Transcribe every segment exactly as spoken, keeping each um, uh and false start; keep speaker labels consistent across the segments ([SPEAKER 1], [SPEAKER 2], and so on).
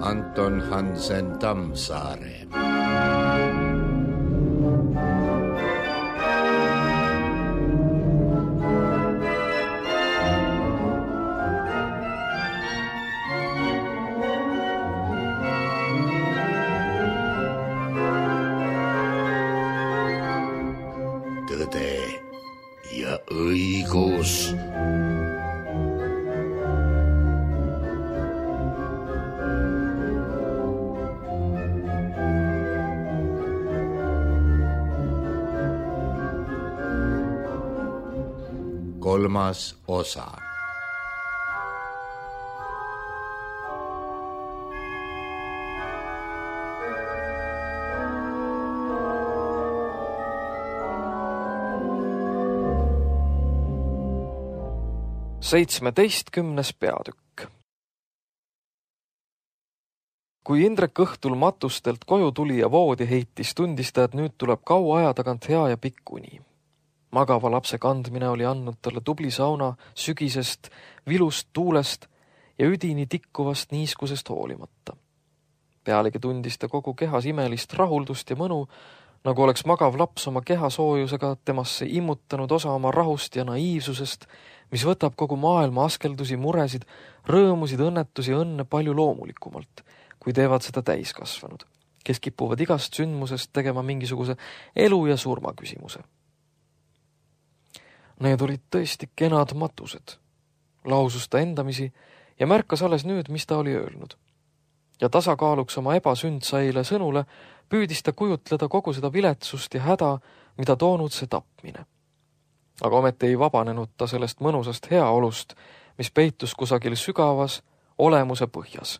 [SPEAKER 1] Anton Hansen Tammsaare. Tõde ja õigus. Kolmas osa.
[SPEAKER 2] seitsmeteistkümnes peatükk. Kui Indrek õhtul matustelt koju tuli ja voodi heitis, tundis ta, et nüüd tuleb kaua aja tagant hea ja pikk uni. Magava lapse kandmine oli andnud talle tubli sauna sügisest, vilust tuulest ja üdini tikkuvast niiskusest hoolimata. Pealegi tundis ta kogu kehas imelist rahuldust ja mõnu, nagu oleks magav laps oma keha soojusega temasse immutanud osa oma rahust ja naiivsusest, mis võtab kogu maailma askeldusi, muresid, rõõmusid, õnnetusi ja õnne palju loomulikumalt, kui teevad seda täiskasvanud, kes kipuvad igast sündmusest tegema mingisuguse elu ja surma küsimuse. Need olid tõesti kenad matused. Lausus ta endamisi ja märkas alles nüüd, mis ta oli öelnud. Ja tasakaaluks oma ebasündsaile sõnule püüdis ta kujutleda kogu seda viletsust ja häda, mida toonud see tapmine. Aga ometi ei vabanenud ta sellest mõnusast heaolust, mis peitus kusagil sügavas olemuse põhjas.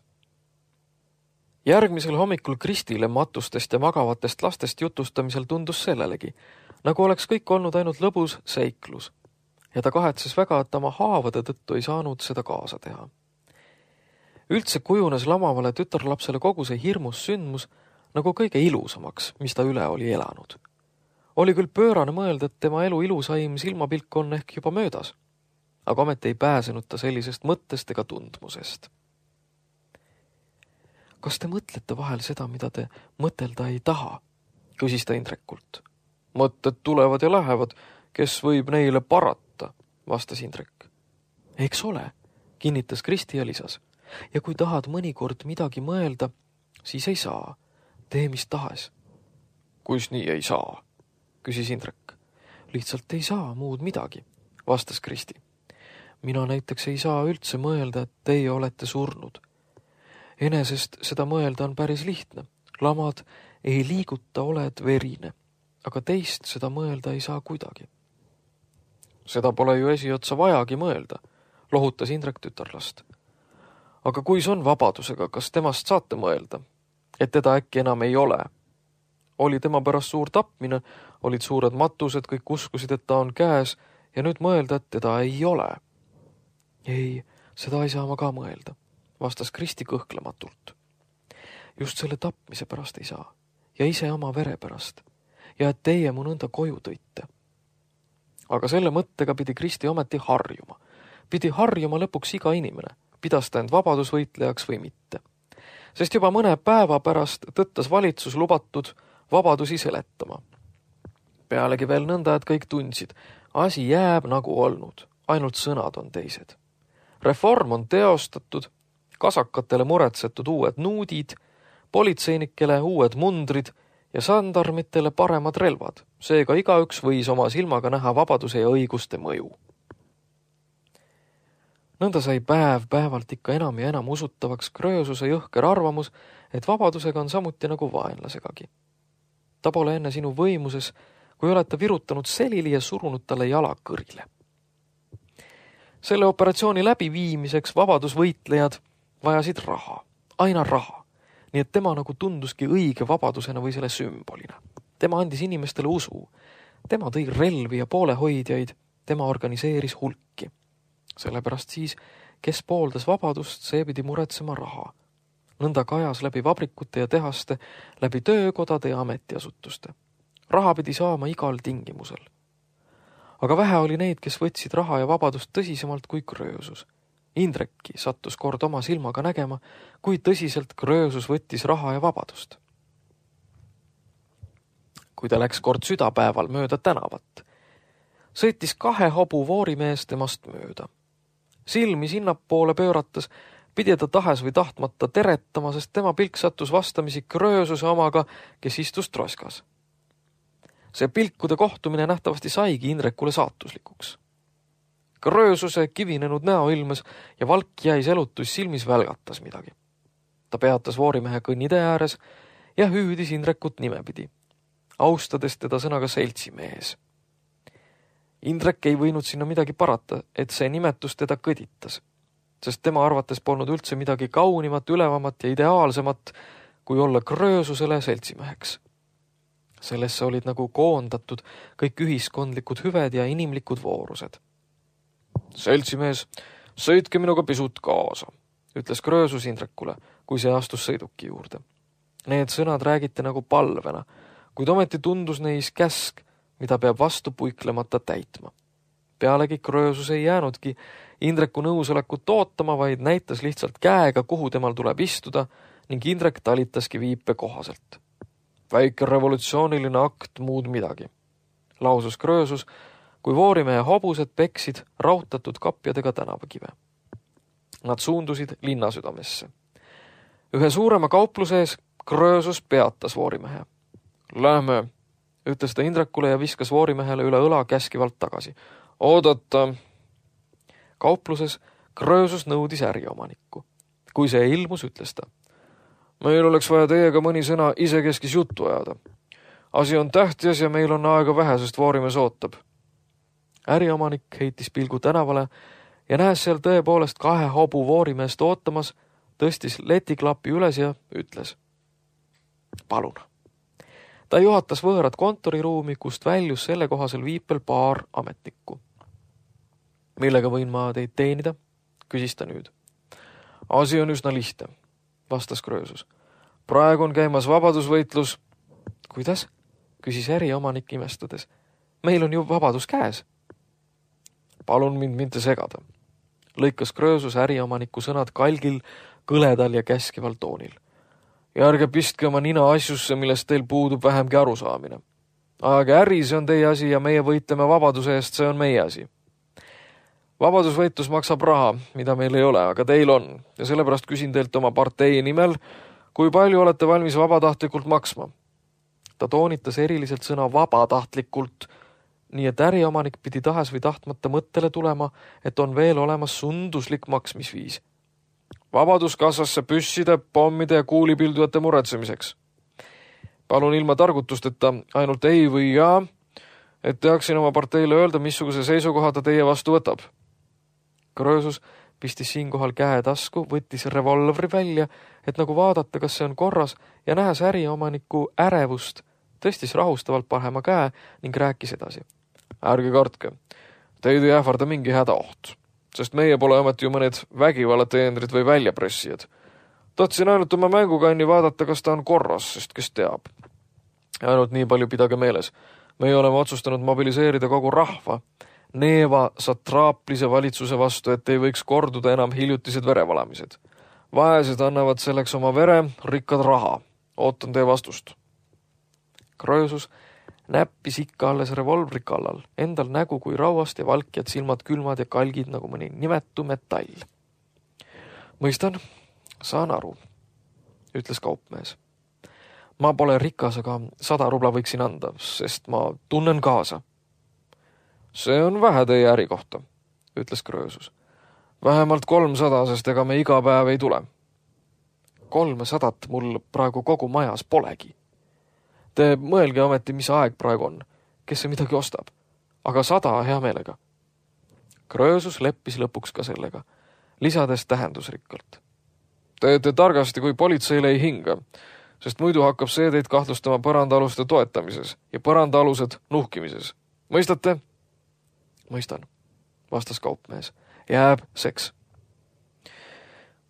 [SPEAKER 2] Järgmisel hommikul Kristile matustest ja magavatest lastest jutustamisel tundus sellelegi, nagu oleks kõik olnud ainult lõbus seiklus, ja ta kahetses väga, et oma haavade tõttu ei saanud seda kaasa teha. Üldse kujunes lamavale tütarlapsele kogu see hirmus sündmus nagu kõige ilusamaks, mis ta üle oli elanud. Oli küll pöörane mõelda, et tema elu ilusaim silmapilk on ehk juba möödas, aga ometi ei pääsenud ta sellisest mõttest ega tundmusest. Kas te mõtlete vahel seda, mida te mõtelda ei taha? Küsis ta Indrekult. Mõtted tulevad ja lähevad, kes võib neile parata, vastas Indrek. Eks ole, kinnitas Kristi ja lisas. Ja kui tahad mõnikord midagi mõelda, siis ei saa. Tee mis tahes. Kuis nii ei saa? Küsis Indrek. Lihtsalt ei saa muud midagi, vastas Kristi. Mina näiteks ei saa üldse mõelda, et teie olete surnud. Enesest seda mõelda on päris lihtne. Lamad ei liiguta, oled verine, aga teist seda mõelda ei saa kuidagi. Seda pole ju esiotsa vajagi mõelda, lohutas Indrek tütarlast. Aga kui see on vabadusega, kas temast saate mõelda, et teda äkki enam ei ole? Oli tema pärast suur tapmine, olid suured matused, kõik uskusid, et ta on käes ja nüüd mõelda, et teda ei ole. Ei, seda ei saa ma ka mõelda, vastas Kristi kõhklematult. Just selle tapmise pärast ei saa ja ise oma vere pärast ja et teie mu nõnda koju tõite. Aga selle mõttega pidi Kristi ometi harjuma. Pidi harjuma lõpuks iga inimene, pidas ta end vabadusvõitlejaks või mitte. Sest juba mõne päeva pärast tõttas valitsus lubatud vabadusi seletama. Pealegi veel nõnda, et kõik tundsid, asi jääb nagu olnud, ainult sõnad on teised. Reform on teostatud, kasakatele muretsetud uued nuudid, politseinikele uued mundrid ja sandarmitele paremad relvad. Seega igaüks võis oma silmaga näha vabaduse ja õiguste mõju. Nõnda sai päev päevalt ikka enam ja enam usutavaks Kröösuse jõhker arvamus, et vabadusega on samuti nagu vaenlasegagi. Ta pole enne sinu võimuses, kui olete virutanud selili ja surunud talle jala kõrile. Selle operatsiooni läbiviimiseks vabadusvõitlejad vajasid raha, aina raha, nii et tema nagu tunduski õige vabadusena või selle sümbolina. Tema andis inimestele usu, tema tõi relvi ja poolehoidjaid, tema organiseeris hulki. Sellepärast siis, kes pooldas vabadust, see pidi muretsema raha. nõnda kajas läbi vabrikute ja tehaste, läbi töökodade ja ametiasutuste. Raha pidi saama igal tingimusel. Aga vähe oli neid, kes võtsid raha ja vabadust tõsisemalt kui Kröösus. Indrekki sattus kord oma silmaga nägema, kui tõsiselt Kröösus võttis raha ja vabadust. Kui ta läks kord südapäeval mööda tänavat, sõitis kahe hobu voorimees temast mööda. Silmi sinnapoole pöörates pidi ta tahes või tahtmata teretama, sest tema pilk sattus vastamisi Kröösuse omaga, kes istus troskas. See pilkude kohtumine nähtavasti saigi Indrekule saatuslikuks. Kröösuse kivinenud näo ilmes ja valk jäis elutus silmis välgatas midagi. Ta peatas voorimehe kõnnitee ääres ja hüüdis Indrekut nimepidi, austades teda sõnaga seltsimees. Indrek ei võinud sinna midagi parata, et see nimetus teda kõditas, sest tema arvates polnud üldse midagi kaunimat, ülevamat ja ideaalsemat, kui olla Kröösusele seltsimeheks. Sellesse olid nagu koondatud kõik ühiskondlikud hüved ja inimlikud voorused. Seltsimees, sõitke minuga pisut kaasa, ütles Kröösus Indrekule, kui see astus sõiduki juurde. Need sõnad räägiti nagu palvena, kuid ometi tundus neis käsk, mida peab vastu puiklemata täitma. Pealegi Kröösus ei jäänudki Indreku nõusolekut ootama, vaid näitas lihtsalt käega, kuhu temal tuleb istuda ning Indrek talitaski viipe kohaselt. Väike revolutsiooniline akt, muud midagi, lausus Kröösus, kui voorimehe hobused peksid rautatud kapjadega tänavakive. Nad suundusid linnasüdamesse. Ühe suurema kaupluse ees Kröösus peatas voorimehe. Lähme, ütles ta Indrekule ja viskas voorimehele üle õla käskivalt tagasi. Oodata. Kaupluses Kröösus nõudis äriomanikku. Kui see ilmus, ütles ta. Meil oleks vaja teiega mõni sõna isekeskis juttu ajada. Asi on tähtis ja meil on aega vähe, sest voorimees ootab. Äriomanik heitis pilgu tänavale ja näes seal tõepoolest kahe hobu voorimeest ootamas, tõstis letiklapi üles ja ütles. Palun. Ta juhatas võõrad kontoriruumi, kust väljus sellekohasel viipel paar ametnikku. Millega võin ma teid teenida? Küsis ta nüüd. Asi on üsna lihtne, vastas Kröösus. Praegu on käimas vabadusvõitlus. Kuidas? Küsis äriomanik imestades. Meil on ju vabadus käes. Palun mind mitte segada. Lõikas Kröösus äriomaniku sõnad kalgil, kõledal ja käskival toonil. Ja ärge pistke oma nina asjusse, millest teil puudub vähemgi arusaamine. Aga äri, see on teie asi ja meie võitleme vabaduse eest, see on meie asi. Vabadusvõitlus maksab raha, mida meil ei ole, aga teil on. Ja sellepärast küsin teilt oma partei nimel, kui palju olete valmis vabatahtlikult maksma. Ta toonitas eriliselt sõna vabatahtlikult, nii et äriomanik pidi tahes või tahtmata mõttele tulema, et on veel olemas sunduslik maksmisviis. Vabaduskassasse püsside, pommide ja kuulipildujate muretsemiseks. Palun ilma targutusteta ainult ei või jaa, et teaksin oma parteile öelda, missuguse seisukoha ta teie vastu võtab. Kröösus pistis siinkohal käe tasku, võttis revolvri välja, et nagu vaadata, kas see on korras ja nähes äriomaniku ärevust, tõstis rahustavalt parema käe ning rääkis edasi. Ärge kartke, teid ei ähvarda mingi hädaoht, sest meie pole ometi ju mõned vägivallateenrid või väljapressijad. Tahtsin ainult oma mängukanni vaadata, kas ta on korras, sest kes teab. Ainult nii palju pidage meeles. Meie oleme otsustanud mobiliseerida kogu rahva Neeva satraaplise valitsuse vastu, et ei võiks korduda enam hiljutised verevalamised. Vaesed annavad selleks oma vere, rikkad raha. Ootan teie vastust. Kröösus näppis ikka alles revolvri kallal, endal nägu kui rauast ja valkjad silmad külmad ja kalgid nagu mõni nimetu metall. Mõistan, saan aru, ütles kaupmees. Ma pole rikas, aga sada rubla võiksin anda, sest ma tunnen kaasa. See on vähe teie äri kohta, ütles Kröösus. Vähemalt kolmsada, sest ega me iga päev ei tule. Kolmesadat mul praegu kogu majas polegi. Te mõelge ometi, mis aeg praegu on, kes see midagi ostab, aga sada hea meelega. Kröösus leppis lõpuks ka sellega, lisades tähendusrikkalt. Teete targasti, kui politseile ei hinga, sest muidu hakkab see teid kahtlustama põrandaaluste toetamises ja põrandaalused nuhkimises. Mõistate? Mõistan, vastas kaupmees. Jääb seks.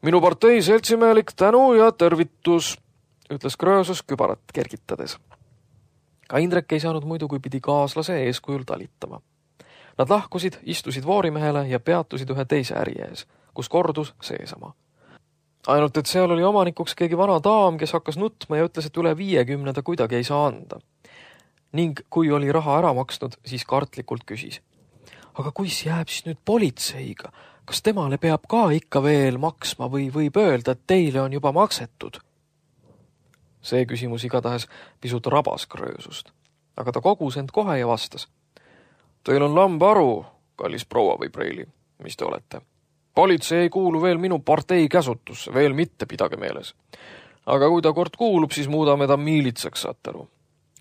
[SPEAKER 2] minu partei seltsimehelik tänu ja tervitus, ütles Kröösus kübarat kergitades. Ka Indrek ei saanud muidu, kui pidi kaaslase eeskujul talitama. Nad lahkusid, istusid Voorimehele ja peatusid ühe teise äri ees, kus kordus seesama. Ainult, et seal oli omanikuks keegi vana daam, kes hakkas nutma ja ütles, et üle viiekümne ta kuidagi ei saa anda. Ning kui oli raha ära maksnud, siis kartlikult küsis. Aga kuis jääb siis nüüd politseiga? Kas temale peab ka ikka veel maksma või võib öelda, et teile on juba maksetud? See küsimus igatahes pisut rabas Kröösust, aga ta kogus end kohe ja vastas. Teil on lambaru, kallis proua või preili, mis te olete. Politsei ei kuulu veel minu partei käsutusse, veel mitte, pidage meeles. Aga kui ta kord kuulub, siis muudame ta miilitsaks, saate aru.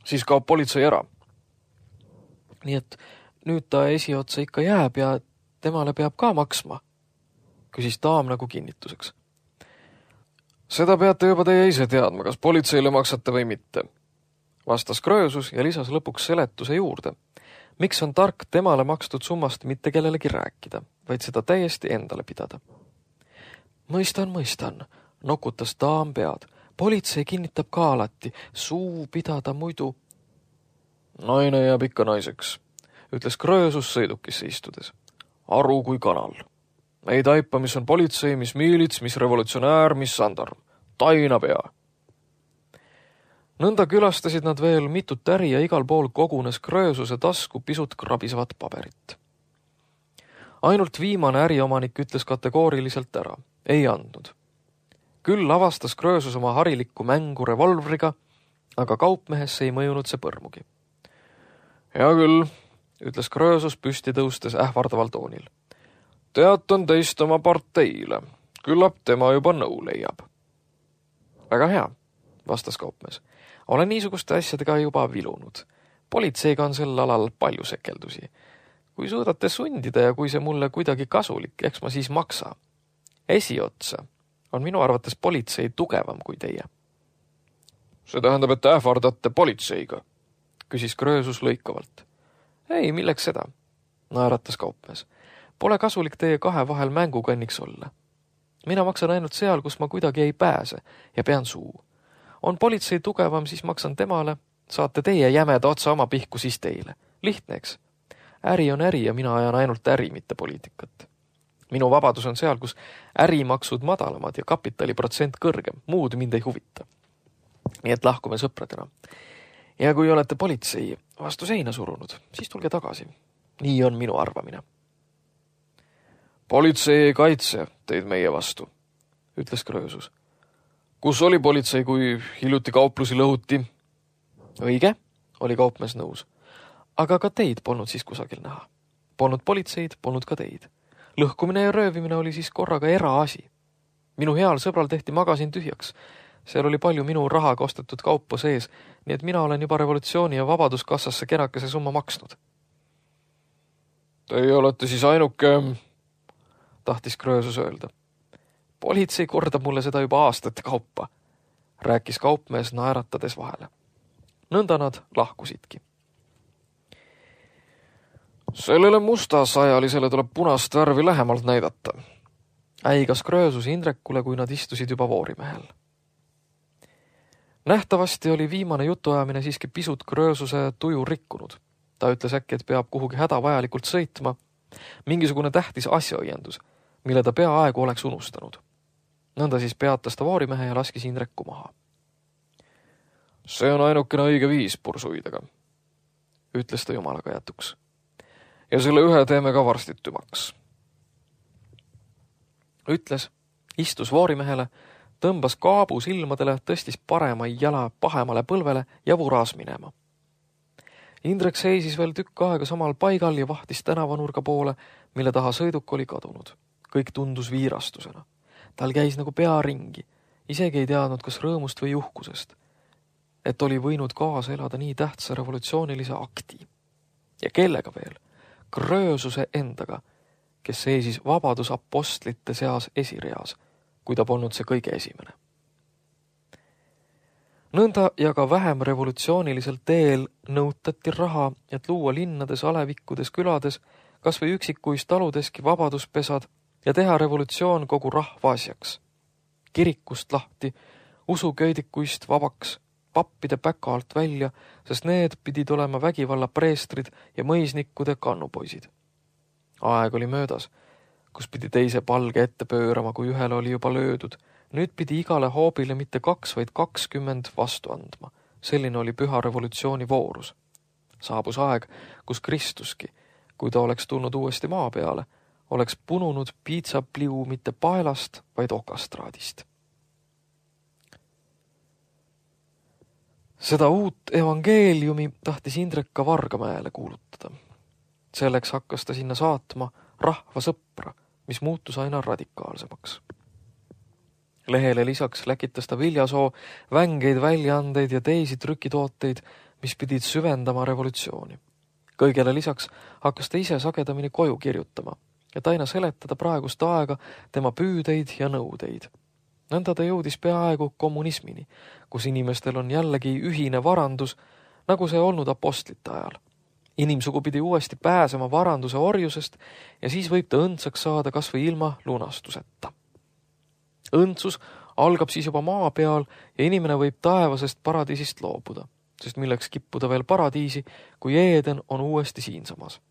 [SPEAKER 2] Siis kaob politsei ära. Nii et nüüd ta esiotsa ikka jääb ja temale peab ka maksma, küsis daam nagu kinnituseks. Seda peate juba teie ise teadma, kas politseile maksate või mitte, vastas Kröösus ja lisas lõpuks seletuse juurde. Miks on tark temale makstud summast mitte kellelegi rääkida, vaid seda täiesti endale pidada? Mõistan, mõistan, nokutas daam pead. Politsei kinnitab ka alati, suu pidada muidu. Naine jääb ikka naiseks, ütles Kröösus sõidukisse istudes. Aru kui kanal. Ei taipa, mis on politsei, mis miilits, mis revolutsionäär, mis sandarm. Taina pea. Nõnda külastasid nad veel mitut äri ja igal pool kogunes Kröösuse tasku pisut krabisevat paberit. Ainult viimane äriomanik ütles kategooriliselt ära. Ei andnud. Küll avastas Kröösus oma harilikku mängu revolvriga, aga kaupmehesse ei mõjunud see põrmugi. Hea küll, ütles Kröösus püsti tõustes ähvardaval toonil. Teatan teist oma parteile. Küllap tema juba nõu leiab. Väga hea, vastas kaupmees. Olen niisuguste asjadega juba vilunud. Politseiga on sel alal palju sekeldusi. Kui suudate sundida ja kui see mulle kuidagi kasulik, eks ma siis maksa. Esiotsa on minu arvates politsei tugevam kui teie. See tähendab, et ähvardate politseiga, küsis Kröösus lõikavalt. Ei, milleks seda, naeratas kaupmees. Pole kasulik teie kahe vahel mängukanniks olla. Mina maksan ainult seal, kus ma kuidagi ei pääse ja pean suu. On politsei tugevam, siis maksan temale, saate teie jämeda otsa oma pihku siis teile. Lihtne, eks? Äri on äri ja mina ajan ainult äri, mitte poliitikat. Minu vabadus on seal, kus ärimaksud madalamad ja kapitaliprotsent kõrgem. Muud mind ei huvita. Nii et lahkume sõpradena. Ja kui olete politsei vastu seina surunud, siis tulge tagasi. Nii on minu arvamine. Politsei ei kaitse teid meie vastu, ütles Kröösus. Kus oli politsei, kui hiljuti kauplusi lõhuti? Õige, oli kaupmees nõus. Aga ka teid polnud siis kusagil näha. Polnud politseid, polnud ka teid. Lõhkumine ja röövimine oli siis korraga eraasi. Minu heal sõbral tehti magasin tühjaks. Seal oli palju minu rahaga ostetud kaupa sees, nii et mina olen juba revolutsiooni ja vabaduskassasse kenakese summa maksnud. Teie olete siis ainuke, tahtis Kröösus öelda. Politsei kordab mulle seda juba aastate kaupa, rääkis kaupmees naeratades vahele. Nõnda nad lahkusidki. Sellele mustasajalisele tuleb punast värvi lähemalt näidata, äigas Kröösus Indrekule, kui nad istusid juba Voorimehel. Nähtavasti oli viimane jutuajamine siiski pisut Kröösuse tuju rikkunud. Ta ütles äkki, et peab kuhugi hädavajalikult sõitma, mingisugune tähtis asjaõiendus, mille ta peaaegu oleks unustanud. Nõnda siis peatas ta Voorimehe ja laskis Indreku maha. See on ainukene õige viis pursuidega, ütles ta jumalaga jätuks. Ja selle ühe teeme ka varstitumaks. Ütles, istus Voorimehele, tõmbas kaabu silmadele, tõstis parema jala pahemale põlvele ja vuras minema. Indrek seisis veel tükk aega samal paigal ja vahtis tänavanurga poole, mille taha sõiduk oli kadunud. Kõik tundus viirastusena. Tal käis nagu pea ringi. Isegi ei teadnud, kas rõõmust või uhkusest. Et oli võinud kaasa elada nii tähtsa revolutsioonilise akti. Ja kellega veel? Kröösuse endaga, kes seisis vabadusapostlite seas esireas, kui ta polnud see kõige esimene. Nõnda ja ka vähem revolutsioonilisel teel nõutati raha, et luua linnades, alevikkudes, külades, kas või üksikuis taludeski vabaduspesad ja teha revolutsioon kogu rahva asjaks. kirikust lahti, usuköidikuist vabaks, pappide päka alt välja, sest need pidid olema vägivalla preestrid ja mõisnikkude kannupoisid. Aeg oli möödas, kus pidi teise palge ette pöörama, kui ühele oli juba löödud. Nüüd pidi igale hoobile mitte kaks, vaid kakskümmend vastu andma. Selline oli püha revolutsiooni voorus. Saabus aeg, kus Kristuski, kui ta oleks tulnud uuesti maa peale, oleks pununud piitsapliu mitte paelast, vaid okastraadist. Seda uut evangeeliumi tahtis Indrek ka Vargamäele kuulutada. Selleks hakkas ta sinna saatma rahva sõpra, mis muutus aina radikaalsemaks. Lehele lisaks läkitas ta Viljasoo vängeid väljaandeid ja teisi trükitooteid, mis pidid süvendama revolutsiooni. Kõigele lisaks hakkas ta ise sagedamini koju kirjutama, et aina seletada praegust aega tema püüdeid ja nõudeid. Nõnda ta jõudis peaaegu kommunismini, kus inimestel on jällegi ühine varandus, nagu see olnud apostlite ajal. Inimsugu pidi uuesti pääsema varanduse orjusest ja siis võib ta õndsaks saada kas või ilma lunastuseta. Õndsus algab siis juba maa peal ja inimene võib taevasest paradiisist loobuda, sest milleks kippuda veel paradiisi, kui Eeden on uuesti siinsamas.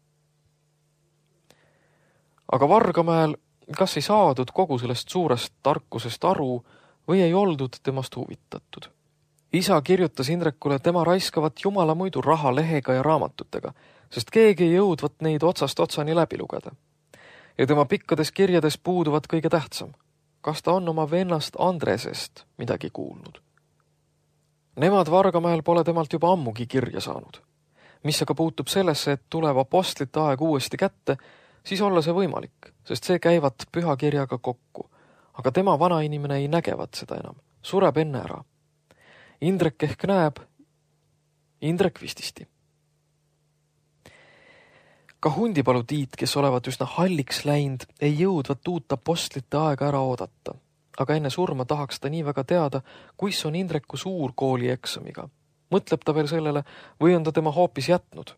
[SPEAKER 2] Aga Vargamäel kas ei saadud kogu sellest suurest tarkusest aru või ei oldud temast huvitatud. Isa kirjutas Indrekule tema raiskavat jumala muidu raha lehega ja raamatutega, sest keegi ei jõudvat neid otsast otsani läbi lugeda. Ja tema pikkades kirjades puuduvad kõige tähtsam. Kas ta on oma vennast Andresest midagi kuulnud? Nemad Vargamäel pole temalt juba ammugi kirja saanud. Mis aga puutub sellesse, et tuleb apostlite aeg uuesti kätte, siis olla see võimalik, sest see käivad pühakirjaga kokku. Aga tema vanainimene ei nägevat seda enam. Sureb enne ära. Indrek ehk näeb, Indrek vististi. Ka Hundipalu Tiit, kes olevat üsna halliks läinud, ei jõudvat uut apostlite aega ära oodata. Aga enne surma tahaks ta nii väga teada, kuis on Indreku suurkooli eksamiga. Mõtleb ta veel sellele või on ta tema hoopis jätnud.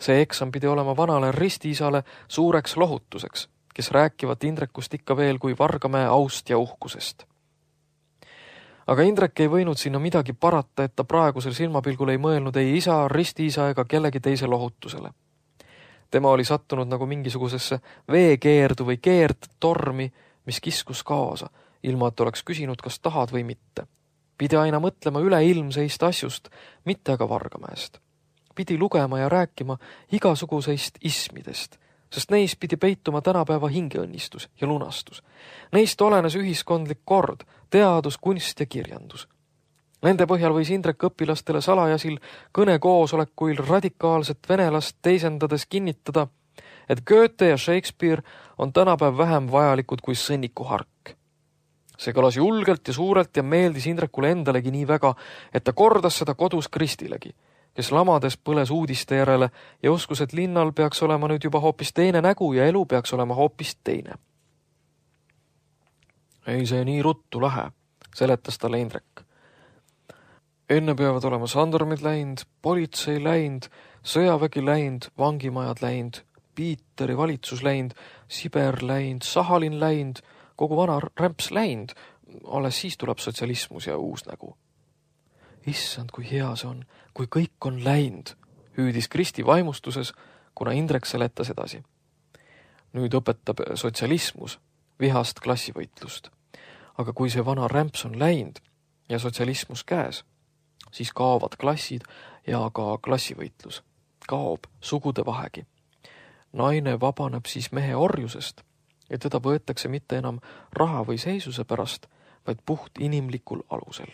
[SPEAKER 2] See eksam pidi olema vanale ristiisale suureks lohutuseks, kes rääkivad Indrekust ikka veel kui Vargamäe aust ja uhkusest. Aga Indrek ei võinud sinna midagi parata, et ta praegusel silmapilgul ei mõelnud ei isa, ristiisa ega kellegi teise lohutusele. Tema oli sattunud nagu mingisugusesse veekeerdu või keerdtormi, mis kiskus kaasa, ilma et oleks küsinud, kas tahad või mitte. Pidi aina mõtlema üleilmseist asjust, mitte aga Vargamäest. Pidi lugema ja rääkima igasuguseist ismidest, sest neis pidi peituma tänapäeva hingeõnnistus ja lunastus. Neist olenes ühiskondlik kord, teadus, kunst ja kirjandus. Nende põhjal võis Indrek õpilastele salajasil kõnekoosolekuil radikaalset venelast teisendades kinnitada, et Goethe ja Shakespeare on tänapäev vähem vajalikud kui sõnniku hark. See kõlas julgelt ja suurelt ja meeldis Indrekule endalegi nii väga, et ta kordas seda kodus Kristilegi, kes lamades põles uudiste järele ja uskus, et linnal peaks olema nüüd juba hoopis teine nägu ja elu peaks olema hoopis teine. Ei see nii ruttu lähe, seletas talle Indrek. Enne peavad olema sandarmid läinud, politsei läinud, sõjavägi läinud, vangimajad läinud, Piiteri valitsus läinud, Siber läinud, Sahalin läinud, kogu vana rämps läinud, alles siis tuleb sotsialismus ja uus nägu. Issand, kui hea see on, kui kõik on läinud, hüüdis Kristi vaimustuses, kuna Indrek seletas edasi. Nüüd õpetab sotsialismus vihast klassivõitlust. Aga kui see vana rämps on läinud ja sotsialismus käes, siis kaovad klassid ja ka klassivõitlus. Kaob sugude vahegi. Naine vabaneb siis mehe orjusest ja teda võetakse mitte enam raha või seisuse pärast, vaid puht inimlikul alusel.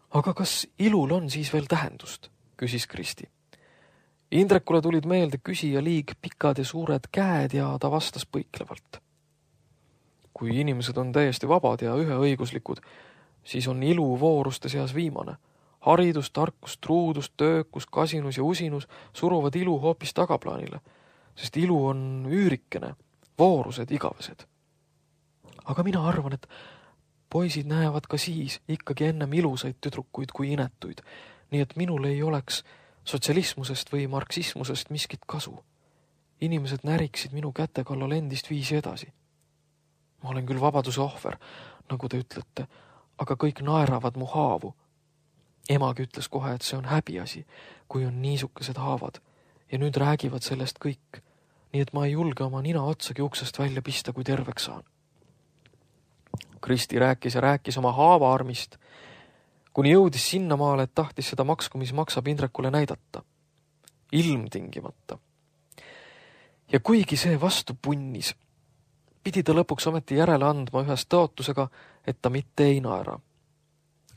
[SPEAKER 2] Aga kas ilul on siis veel tähendust, küsis Kristi. Indrekule tulid meelde küsija liig pikad ja suured käed ja ta vastas põiklevalt. Kui inimesed on täiesti vabad ja üheõiguslikud, siis on ilu vooruste seas viimane. Haridus, tarkus, truudus, töökus, kasinus ja usinus suruvad ilu hoopis tagaplaanile, sest ilu on üürikene, voorused igavesed. Aga mina arvan, et poisid näevad ka siis ikkagi ennem ilusaid tüdrukuid kui inetuid, nii et minul ei oleks sotsialismusest või marksismusest miskit kasu. Inimesed näriksid minu käte kallal endist viisi edasi. Ma olen küll vabaduse ohver, nagu te ütlete, aga kõik naeravad mu haavu. Emagi ütles kohe, et see on häbiasi, kui on niisukesed haavad ja nüüd räägivad sellest kõik, nii et ma ei julge oma nina otsagi uksest välja pista, kui terveks saan. Kristi rääkis ja rääkis oma haavaarmist, kuni jõudis sinnamaale, et tahtis seda maksku, mis maksab Indrekule näidata. Ilmtingimata. Ja kuigi see vastu punnis, pidi ta lõpuks ometi järele andma ühes tõotusega, et ta mitte ei naera.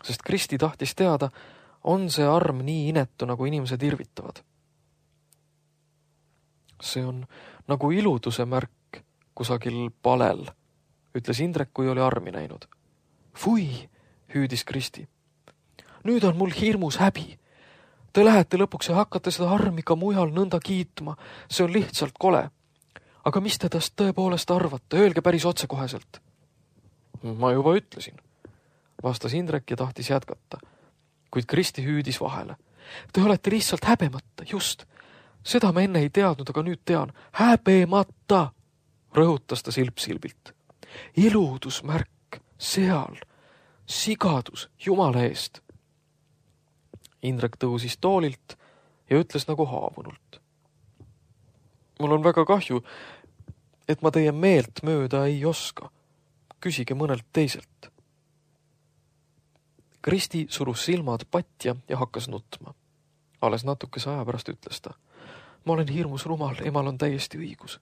[SPEAKER 2] Sest Kristi tahtis teada, on see arm nii inetu, nagu inimesed irvitavad. See on nagu iluduse märk kusagil palel, ütles Indrek, kui oli armi näinud. Fui, hüüdis Kristi. Nüüd on mul hirmus häbi. Te lähete lõpuks ja hakkate seda armi ka mujal nõnda kiitma. See on lihtsalt kole. Aga mis te tast tõepoolest arvate? Öelge päris otsekoheselt. Ma juba ütlesin, vastas Indrek ja tahtis jätkata. Kuid Kristi hüüdis vahele. Te olete lihtsalt häbemata, just. Seda ma enne ei teadnud, aga nüüd tean. Häbemata, rõhutas ta silp-silbilt. Iludusmärk, seal, sigadus, jumala eest. Indrek tõusis toolilt ja ütles nagu haavunult. Mul on väga kahju, et ma teie meelt mööda ei oska. Küsige mõnelt teiselt. Kristi surus silmad patja ja hakkas nutma. Alles natukese aja pärast ütles ta. Ma olen hirmus rumal, emal on täiesti õigus.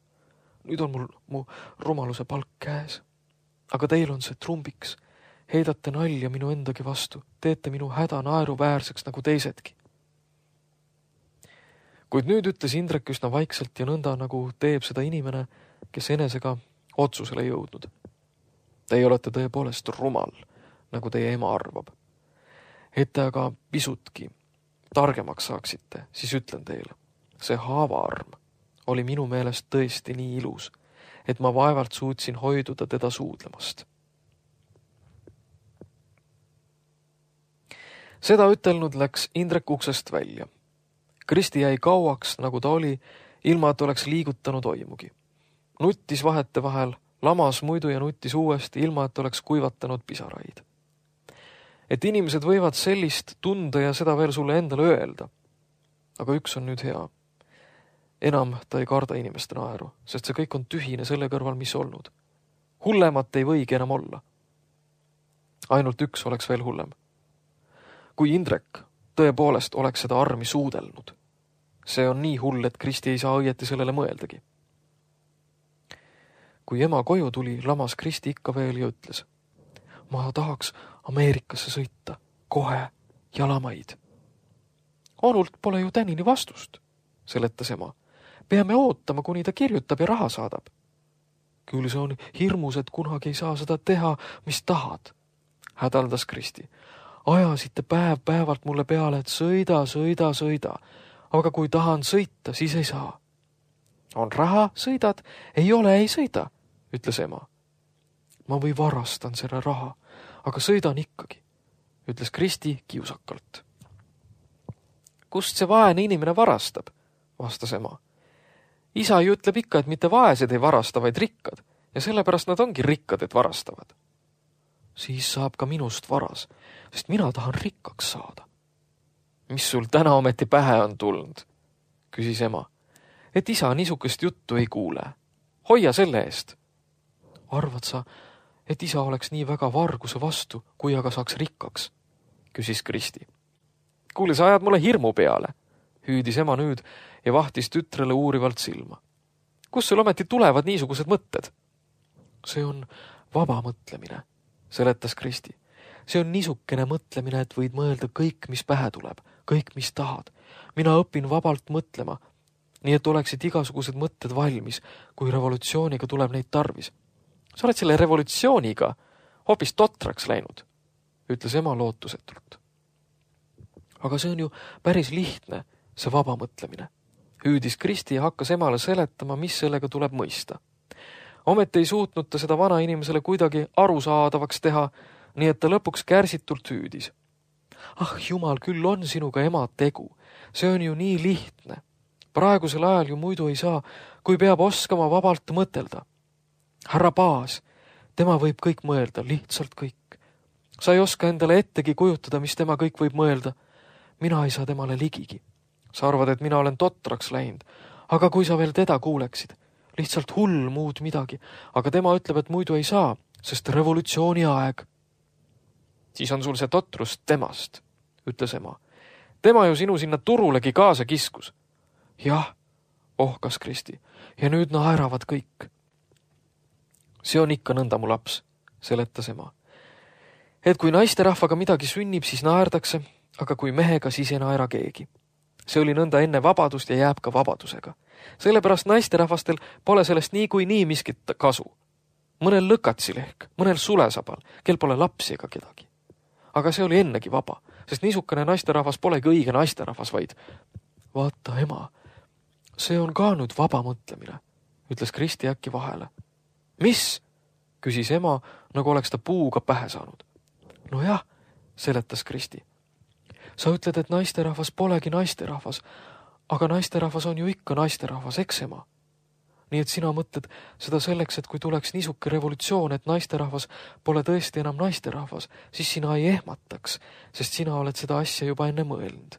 [SPEAKER 2] Nüüd on mul mu rumaluse palk käes. Aga teil on see trumbiks. Heidate nalja minu endagi vastu. Teete minu häda naeruväärseks nagu teisedki. Kuid nüüd ütles Indrek üsna vaikselt ja nõnda, nagu teeb seda inimene, kes enesega otsusele jõudnud. Teie olete tõepoolest rumal, nagu teie ema arvab. Et te aga pisutki targemaks saaksite, siis ütlen teile. See haavaarm oli minu meelest tõesti nii ilus, et ma vaevalt suutsin hoiduda teda suudlemast. Seda ütelnud läks Indrek uksest välja. Kristi jäi kauaks, nagu ta oli, ilma et oleks liigutanud oimugi. Nuttis vahete vahel, lamas muidu ja nuttis uuesti, ilma et oleks kuivatanud pisaraid. Et inimesed võivad sellist tunda ja seda veel sulle endale öelda. Aga üks on nüüd hea. Enam ta ei karda inimeste naeru, sest see kõik on tühine selle kõrval, mis olnud. Hullemat ei võigi enam olla. Ainult üks oleks veel hullem. Kui Indrek tõepoolest oleks seda armi suudelnud, see on nii hull, et Kristi ei saa õieti sellele mõeldagi. Kui ema koju tuli, lamas Kristi ikka veel ja ütles. Ma tahaks Ameerikasse sõita, kohe jalamaid. Onult pole ju tänini vastust, seletas ema. Peame ootama, kuni ta kirjutab ja raha saadab. Küll see on hirmus, et kunagi ei saa seda teha, mis tahad, hädaldas Kristi. Ajasite päev päevalt mulle peale, et sõida, sõida, sõida. Aga kui tahan sõita, siis ei saa. On raha, sõidad, ei ole, ei sõida, ütles ema. Ma või varastan selle raha, aga sõidan ikkagi, ütles Kristi kiusakalt. Kust see vaene inimene varastab, vastas ema. Isa ju ütleb ikka, et mitte vaesed ei varasta, vaid rikkad, ja sellepärast nad ongi rikkad, et varastavad. Siis saab ka minust varas, sest mina tahan rikkaks saada. Mis sul täna ometi pähe on tulnud, küsis ema, et isa niisugust juttu ei kuule. Hoia selle eest. Arvad sa, et isa oleks nii väga varguse vastu, kui aga saaks rikkaks, küsis Kristi. Kuule, sa ajad mulle hirmu peale, hüüdis ema nüüd ja vahtis tütrele uurivalt silma. Kus sul ometi tulevad niisugused mõtted? See on vaba mõtlemine, seletas Kristi. See on niisukene mõtlemine, et võid mõelda kõik, mis pähe tuleb, kõik, mis tahad. Mina õpin vabalt mõtlema, nii et oleksid igasugused mõtted valmis, kui revolutsiooniga tuleb neid tarvis. Sa oled selle revolutsiooniga hoopis totraks läinud, ütles ema lootusetult. Aga see on ju päris lihtne, see vaba mõtlemine. Hüüdis Kristi ja hakkas emale seletama, mis sellega tuleb mõista. Ometi ei suutnud ta seda vana inimesele kuidagi arusaadavaks teha, nii et ta lõpuks kärsitult hüüdis. Ah, jumal, küll on sinuga ema tegu. See on ju nii lihtne. Praegusel ajal ju muidu ei saa, kui peab oskama vabalt mõtelda. Härra Paas, Tema võib kõik mõelda, lihtsalt kõik. Sa ei oska endale ettegi kujutada, mis tema kõik võib mõelda. Mina ei saa temale ligigi. Sa arvad, et mina olen totraks läinud, aga kui sa veel teda kuuleksid, lihtsalt hull muud midagi, aga tema ütleb, et muidu ei saa, sest revolutsiooni aeg. Siis on sul see totrus temast, ütles ema. Tema ju sinu sinna turulegi kaasa kiskus. Jah, ohkas Kristi, ja nüüd naeravad kõik. See on ikka nõnda mu laps, seletas ema. Et kui naisterahvaga midagi sünnib, siis naerdakse, aga kui mehega, siis ei naera keegi. See oli nõnda enne vabadust ja jääb ka vabadusega. Sellepärast naisterahvastel pole sellest nii kui nii miskit kasu. Mõnel lõkatsil ehk, mõnel sulesabal, kel pole lapsi ega kedagi. Aga see oli ennegi vaba, sest niisukene naisterahvas polegi õige naisterahvas, vaid vaata ema, see on ka nüüd vaba mõtlemine, ütles Kristi äkki vahele. Mis? Küsis ema, nagu oleks ta puuga pähe saanud. No jah, seletas Kristi. Sa ütled, et naisterahvas polegi naisterahvas, aga naisterahvas on ju ikka naisterahvas, eks ema? Nii et sina mõtled seda selleks, et kui tuleks niisuke revolutsioon, et naisterahvas pole tõesti enam naisterahvas, siis sina ei ehmataks, sest sina oled seda asja juba enne mõelnud.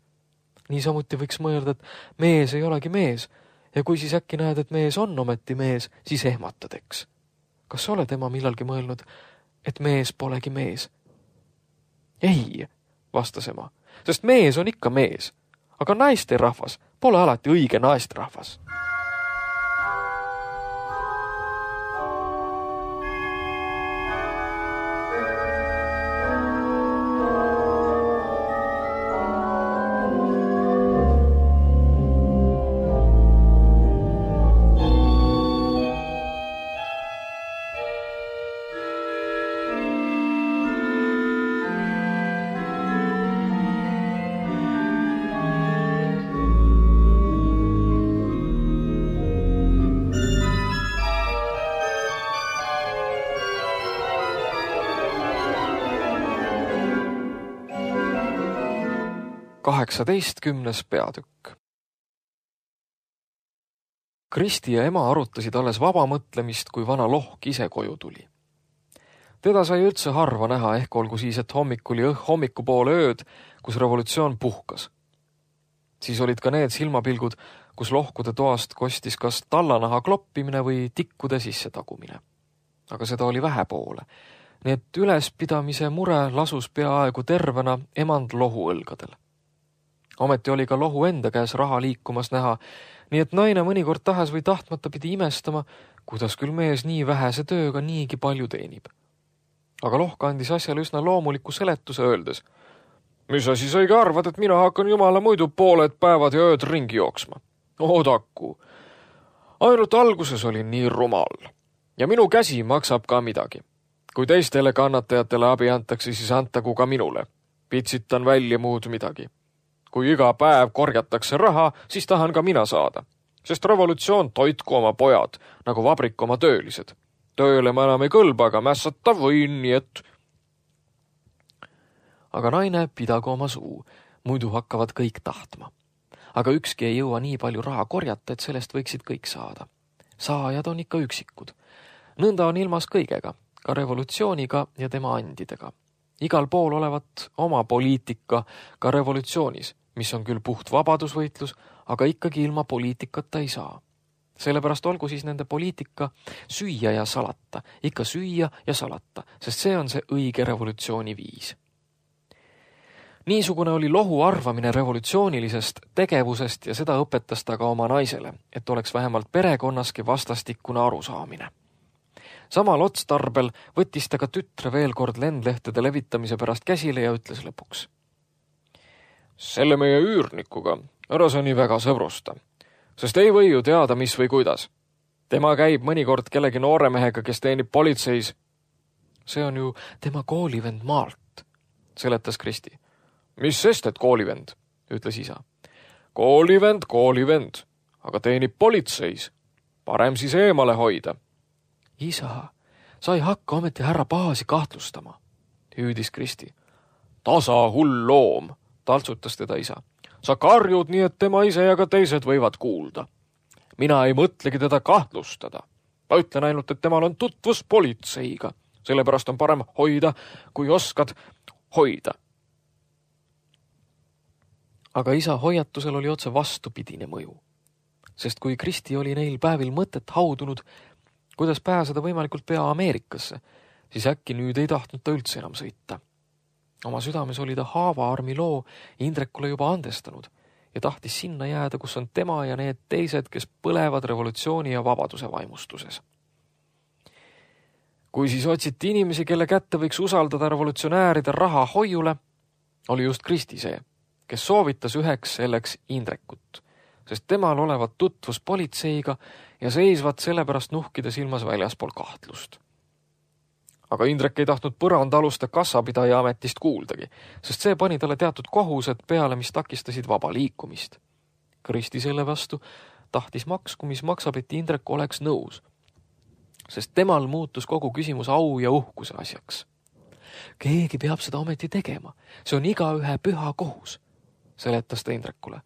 [SPEAKER 2] Niisamuti võiks mõelda, et mees ei olegi mees, ja kui siis äkki näed, et mees on ometi mees, siis ehmatad, eks. Kas sa oled ema millalgi mõelnud, et mees polegi mees? Ei, vastas ema, sest mees on ikka mees, aga naisterahvas pole alati õige naisterahvas. kaheksateistkümnes peatükk. Kristi ja ema arutasid alles vaba mõtlemist, kui vana lohk ise koju tuli. Teda sai üldse harva näha, ehk olgu siis, et hommikul ja hommikupoole ööd, kus revolutsioon puhkas. Siis olid ka need silmapilgud, kus lohkude toast kostis kas tallanaha kloppimine või tikkude sisse tagumine. Aga seda oli vähe poole. Nii et ülespidamise mure lasus peaaegu tervena emand lohu õlgadel. Ometi oli ka lohu enda käes raha liikumas näha, nii et naine mõnikord tahes või tahtmata pidi imestama, kuidas küll mees nii vähese tööga niigi palju teenib. Aga lohk andis asjale üsna loomuliku seletuse öeldes. Mis sa siis õige arvad, et mina hakkan jumala muidu pooled päevad ja ööd ringi jooksma? Odaku. Ainult alguses olin nii rumal. Ja minu käsi maksab ka midagi. Kui teistele kannatajatele abi antakse, siis antagu ka minule. Pitsitan välja muud midagi. Kui iga päev korjatakse raha, siis tahan ka mina saada. Sest revolutsioon toitku oma pojad, nagu vabrik oma töölised. Tööle ma enam ei kõlba, aga mässata võin, nii et... Aga naine pidagu oma suu, muidu hakkavad kõik tahtma. Aga ükski ei jõua nii palju raha korjata, et sellest võiksid kõik saada. Saajad on ikka üksikud. Nõnda on ilmas kõigega, ka revolutsiooniga ja tema andidega. Igal pool olevat oma poliitika ka revolutsioonis, mis on küll puht vabadusvõitlus, aga ikkagi ilma poliitikata ei saa. Sellepärast olgu siis nende poliitika süüa ja salata, ikka süüa ja salata, sest see on see õige revolutsiooni viis. Niisugune oli lohu arvamine revolutsioonilisest tegevusest ja seda õpetas ta ka oma naisele, et oleks vähemalt perekonnaski vastastikune arusaamine. Samal otstarbel võttis ta ka tütre veel kord lendlehtede levitamise pärast käsile ja ütles lõpuks. Selle meie üürnikuga ära sa nii väga sõbrusta, sest ei või ju teada, mis või kuidas. Tema käib mõnikord kellegi nooremehega, kes teenib politseis. See on ju tema koolivend maalt, seletas Kristi. Mis sest, et koolivend, ütles isa. Koolivend, koolivend, aga teenib politseis. Parem siis eemale hoida. Isa, sa ei hakka ometi härra Paasi kahtlustama, hüüdis Kristi. Tasa hull loom, taltsutas teda isa. Sa karjud nii, et tema ise ja ka teised võivad kuulda. Mina ei mõtlegi teda kahtlustada. Ma ütlen ainult, et temal on tutvus politseiga. Sellepärast on parem hoida, kui oskad hoida. Aga isa hoiatusel oli otse vastupidine mõju. Sest kui Kristi oli neil päevil mõtet haudunud, kuidas pääseda võimalikult pea Ameerikasse, siis äkki nüüd ei tahtnud ta üldse enam sõita. Oma südames oli ta Haavaarmi loo Indrekule juba andestanud ja tahtis sinna jääda, kus on tema ja need teised, kes põlevad revolutsiooni ja vabaduse vaimustuses. Kui siis otsiti inimesi, kelle kätte võiks usaldada revolutsionääride raha hoiule, oli just Kristi see, kes soovitas üheks selleks Indrekut, sest temal olevat tutvus politseiga ja seisvat sellepärast nuhkida silmas väljaspool kahtlust. Aga Indrek ei tahtnud põrandaaluste kassapidaja ametist kuuldagi, sest see pani talle teatud kohused peale, mis takistasid vaba liikumist. Kristi selle vastu tahtis maksku, mis maksab, et Indrek oleks nõus, sest temal muutus kogu küsimus au ja uhkuse asjaks. Keegi peab seda ometi tegema, see on igaühe püha kohus, seletas ta Indrekule.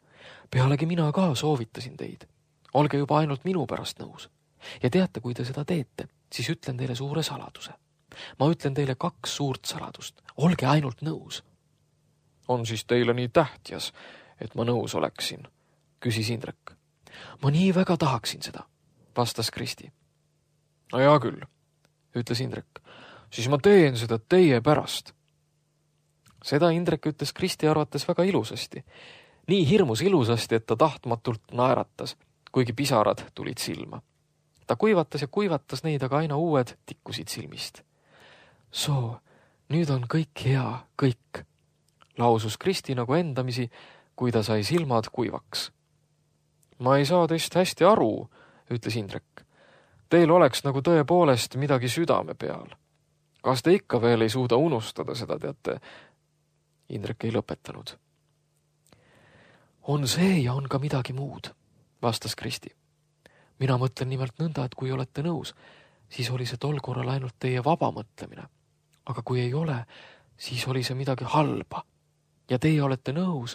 [SPEAKER 2] Pealegi mina ka soovitasin teid. Olge juba ainult minu pärast nõus. Ja teate, kui te seda teete, siis ütlen teile suure saladuse. Ma ütlen teile kaks suurt saladust. Olge ainult nõus. On siis teile nii tähtjas, et ma nõus oleksin, küsis Indrek. Ma nii väga tahaksin seda, vastas Kristi. No hea küll, ütles Indrek. Siis ma teen seda teie pärast. Seda Indrek ütles Kristi arvates väga ilusasti. Nii hirmus ilusasti, et ta tahtmatult naeratas, kuigi pisarad tulid silma. Ta kuivatas ja kuivatas neid, aga aina uued tikkusid silmist. Soo, nüüd on kõik hea, kõik, lausus Kristi nagu endamisi, kui ta sai silmad kuivaks. Ma ei saa teist hästi aru, ütles Indrek. Teil oleks nagu tõepoolest midagi südame peal. Kas te ikka veel ei suuda unustada seda, teate? Indrek ei lõpetanud. On see ja on ka midagi muud, vastas Kristi. Mina mõtlen nimelt nõnda, et kui olete nõus, siis oli see tol korral ainult teie vaba mõtlemine. Aga kui ei ole, siis oli see midagi halba. Ja teie olete nõus,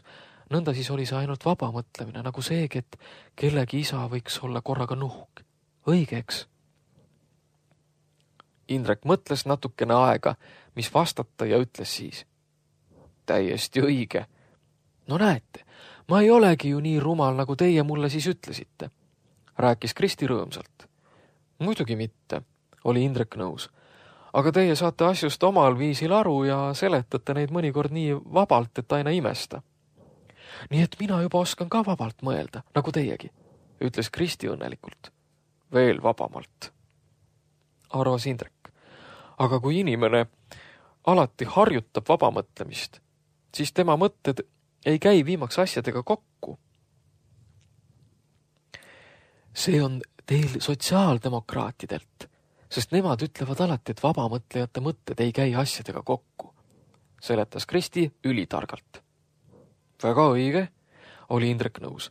[SPEAKER 2] nõnda siis oli see ainult vaba mõtlemine, nagu seegi, et kellegi isa võiks olla korraga nuhk. Õigeks. Indrek mõtles natukene aega, mis vastata ja ütles siis. Täiesti õige. No näete, ma ei olegi ju nii rumal, nagu teie mulle siis ütlesite, rääkis Kristi rõõmsalt. Muidugi mitte, oli Indrek nõus. Aga teie saate asjust omal viisil aru ja seletate neid mõnikord nii vabalt, et aina imesta. Nii et mina juba oskan ka vabalt mõelda, nagu teiegi, ütles Kristi õnnelikult. Veel vabamalt, arvas Indrek. Aga kui inimene alati harjutab vabamõtlemist, siis tema mõtted ei käi viimaks asjadega kokku. See on teil sotsiaaldemokraatidelt, sest nemad ütlevad alati, et vabamõtlejate mõtted ei käi asjadega kokku, seletas Kristi ülitargalt. Väga õige, oli Indrek nõus.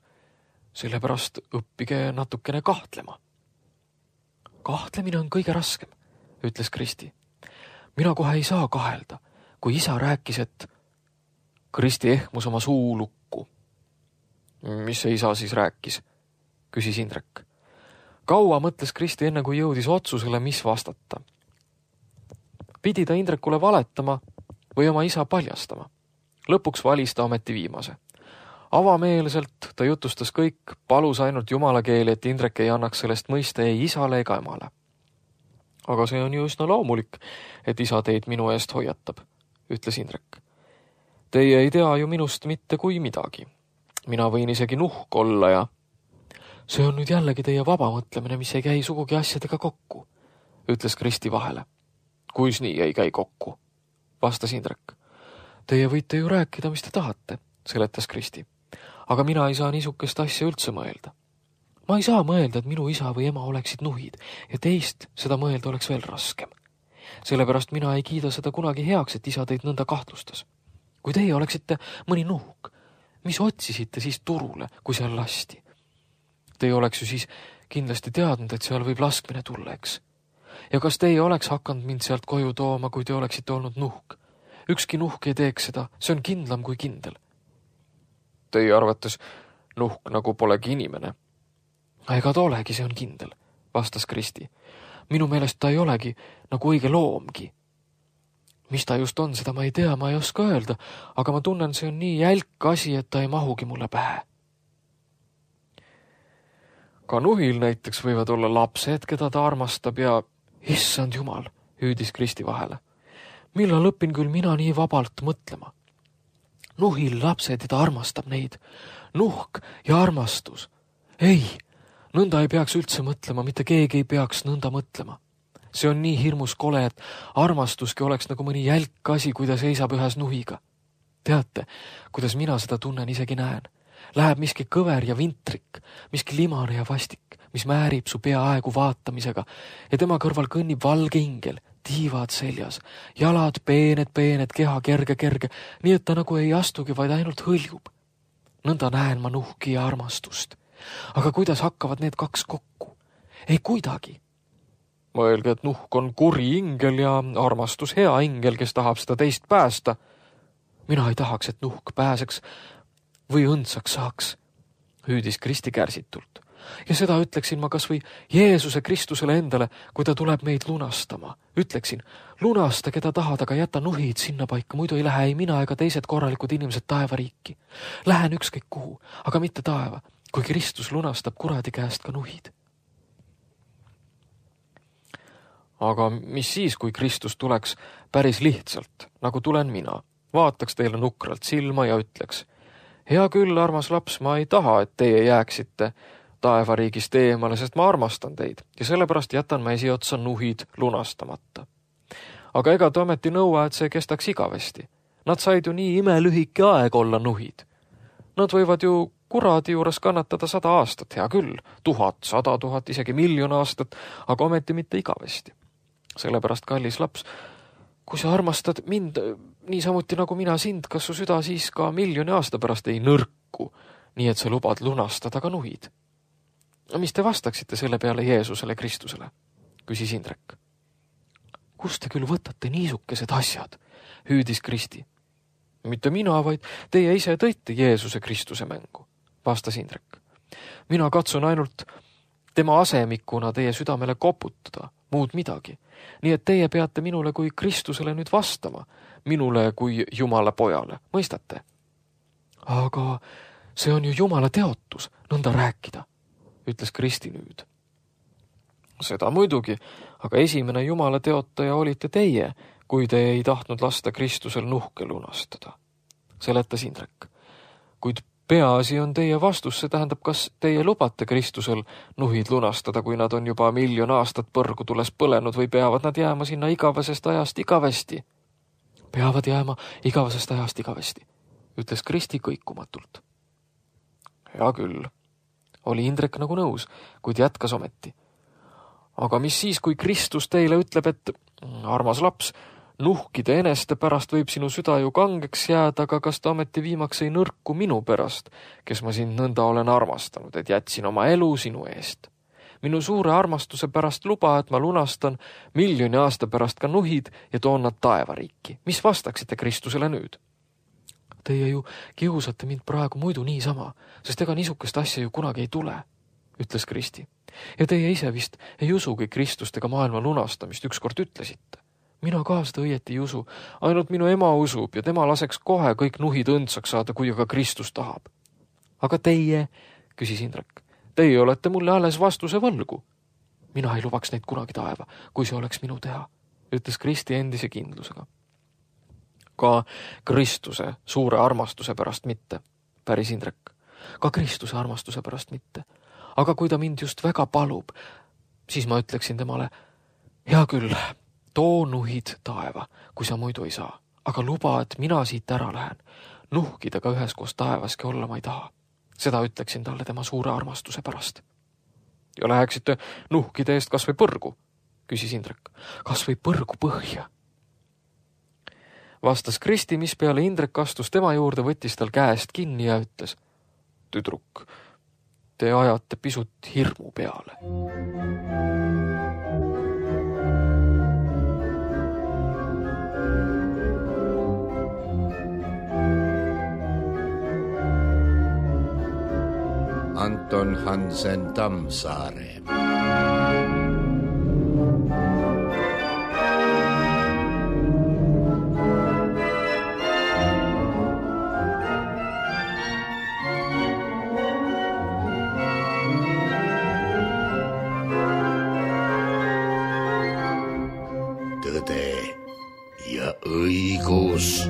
[SPEAKER 2] Sellepärast õppige natukene kahtlema. Kahtlemine on kõige raskem, ütles Kristi. Mina kohe ei saa kahelda, kui isa rääkis, et Kristi ehmus oma suu lukku. Mis see isa siis rääkis, küsis Indrek. Kaua mõtles Kristi enne, kui jõudis otsusele, mis vastata. Pidi ta Indrekule valetama või oma isa paljastama. Lõpuks valis ta ometi viimase. Avameelselt ta jutustas kõik, palus ainult jumala keeli, et Indrek ei annaks sellest mõista ei isale ega emale. Aga see on ju üsna loomulik, et isa teid minu eest hoiatab, ütles Indrek. Teie ei tea ju minust mitte kui midagi. Mina võin isegi nuhk olla ja... See on nüüd jällegi teie vaba mõtlemine, mis ei käi sugugi asjadega kokku, ütles Kristi vahele. Kuis nii ei käi kokku, vastas Indrek. Teie võite ju rääkida, mis te tahate, seletas Kristi. Aga mina ei saa niisugust asja üldse mõelda. Ma ei saa mõelda, et minu isa või ema oleksid nuhid ja teist seda mõelda oleks veel raskem. Sellepärast mina ei kiida seda kunagi heaks, et isa teid nõnda kahtlustas. Kui teie oleksite mõni nuhk, mis otsisite siis turule, kui seal lasti? Teie oleks ju siis kindlasti teadnud, et seal võib laskmine tulla, eks. Ja kas teie oleks hakanud mind sealt koju tooma, kui te oleksite olnud nuhk? Ükski nuhk ei teeks seda, see on kindlam kui kindel. Teie arvates nuhk nagu polegi inimene. Ega ta olegi, see on kindel, vastas Kristi. minu meelest ta ei olegi nagu õige loomgi. Mis ta just on, seda ma ei tea, ma ei oska öelda, aga ma tunnen, see on nii jälk asi, et ta ei mahugi mulle pähe. Ka nuhil näiteks võivad olla lapsed, keda ta armastab ja issand jumal, hüüdis Kristi vahele. Millal õpin küll mina nii vabalt mõtlema? Nuhil lapsed ja ta armastab neid. Nuhk ja armastus. Ei, nõnda ei peaks üldse mõtlema, mitte keegi ei peaks nõnda mõtlema. See on nii hirmus kole, et armastuski oleks nagu mõni jälk asi, kui ta seisab ühes nuhiga. Teate, kuidas mina seda tunnen isegi näen. Läheb miski kõver ja vintrik, miski limane ja vastik, mis määrib su peaaegu vaatamisega ja tema kõrval kõnnib valge ingel, tiivad seljas, jalad peened, peened, keha kerge, kerge, nii et ta nagu ei astugi, vaid ainult hõljub. Nõnda näen ma nuhki ja armastust. Aga kuidas hakkavad need kaks kokku? Ei kuidagi. Mõelge, et nuhk on kuri ingel ja armastus hea ingel, kes tahab seda teist päästa. Mina ei tahaks, et nuhk pääseks või õndsaks saaks, hüüdis Kristi kärsitult. Ja seda ütleksin ma kas või Jeesuse Kristusele endale, kui ta tuleb meid lunastama. Ütleksin, lunasta, keda tahad, aga jäta nuhid sinna paika, muidu ei lähe ei mina ega teised korralikud inimesed taevariiki. Lähen ükskõik kuhu, aga mitte taeva, kui Kristus lunastab kuradi käest ka nuhid. Aga mis siis, kui Kristus tuleks päris lihtsalt, nagu tulen mina, vaataks teile nukralt silma ja ütleks, hea küll, armas laps, ma ei taha, et teie jääksite taevariigist eemale, sest ma armastan teid ja sellepärast jätan ma esiotsa nuhid lunastamata. Aga ega ta ometi nõua, et see kestaks igavesti. Nad said ju nii imelühike aeg olla nuhid. Nad võivad ju kuradi juures kannatada sada aastat, hea küll, tuhat, sada tuhat, isegi miljon aastat, aga ometi mitte igavesti. Sellepärast, kallis laps, kui sa armastad mind niisamuti nagu mina sind, kas su süda siis ka miljoni aasta pärast ei nõrku, nii et sa lubad lunastada ka nuhid? Mis te vastaksite selle peale Jeesusele Kristusele? Küsis Indrek. Kust te küll võtate niisukesed asjad? Hüüdis Kristi. Mitte mina, vaid teie ise tõite Jeesuse Kristuse mängu, vastas Indrek. Mina katsun ainult tema asemikuna teie südamele koputada, muud midagi. Nii et teie peate minule kui Kristusele nüüd vastama, minule kui Jumala pojale, mõistate? Aga see on ju Jumala teotus, nõnda rääkida, ütles Kristi nüüd. Seda muidugi, aga esimene Jumala teotaja olite teie, kui te ei tahtnud lasta Kristusel nuhke lunastada. Seletas Indrek. Kuid peaasi on teie vastus, see tähendab, kas teie lubate Kristusel nuhid lunastada, kui nad on juba miljon aastat põrgu tules põlenud või peavad nad jääma sinna igavesest ajast igavesti? Peavad jääma igavesest ajast igavesti, ütles Kristi kõikumatult. Hea küll, oli Indrek nagu nõus, kuid jätkas ometi. Aga mis siis, kui Kristus teile ütleb, et armas laps, nuhkide eneste pärast võib sinu süda ju kangeks jääda, aga kas ta ometi viimaks ei nõrku minu pärast, kes ma sind nõnda olen armastanud, et jätsin oma elu sinu eest. Minu suure armastuse pärast luba, et ma lunastan miljoni aasta pärast ka nuhid ja toon nad taevariiki. Mis vastaksite Kristusele nüüd? Teie ju kiusate mind praegu muidu niisama, sest ega niisukest asja ju kunagi ei tule, ütles Kristi. Ja teie ise vist ei usugi Kristust ega maailma lunastamist, ükskord ütlesite. Mina ka seda õieti ei usu, ainult minu ema usub ja tema laseks kohe kõik nuhid õndsaks saada, kui aga Kristus tahab. Aga teie, küsis Indrek, teie olete mulle alles vastuse võlgu. Mina ei lubaks neid kunagi taeva, kui see oleks minu teha, ütles Kristi endise kindlusega. Ka Kristuse suure armastuse pärast mitte, päris Indrek. Ka Kristuse armastuse pärast mitte. Aga kui ta mind just väga palub, siis ma ütleksin temale, hea küll, too nuhid taeva, kui sa muidu ei saa. Aga luba, et mina siit ära lähen. Nuhkidega üheskoos taevaski olla ma ei taha. Seda ütleksin talle tema suure armastuse pärast. Ja läheksite nuhkide eest kas või põrgu, küsis Indrek. Kas või põrgu põhja? Vastas Kristi, mis peale Indrek astus tema juurde, võttis tal käest kinni ja ütles, tüdruk, te ajate pisut hirmu peale.
[SPEAKER 1] Anton Hansen Tammsaare. tõde ja õigus.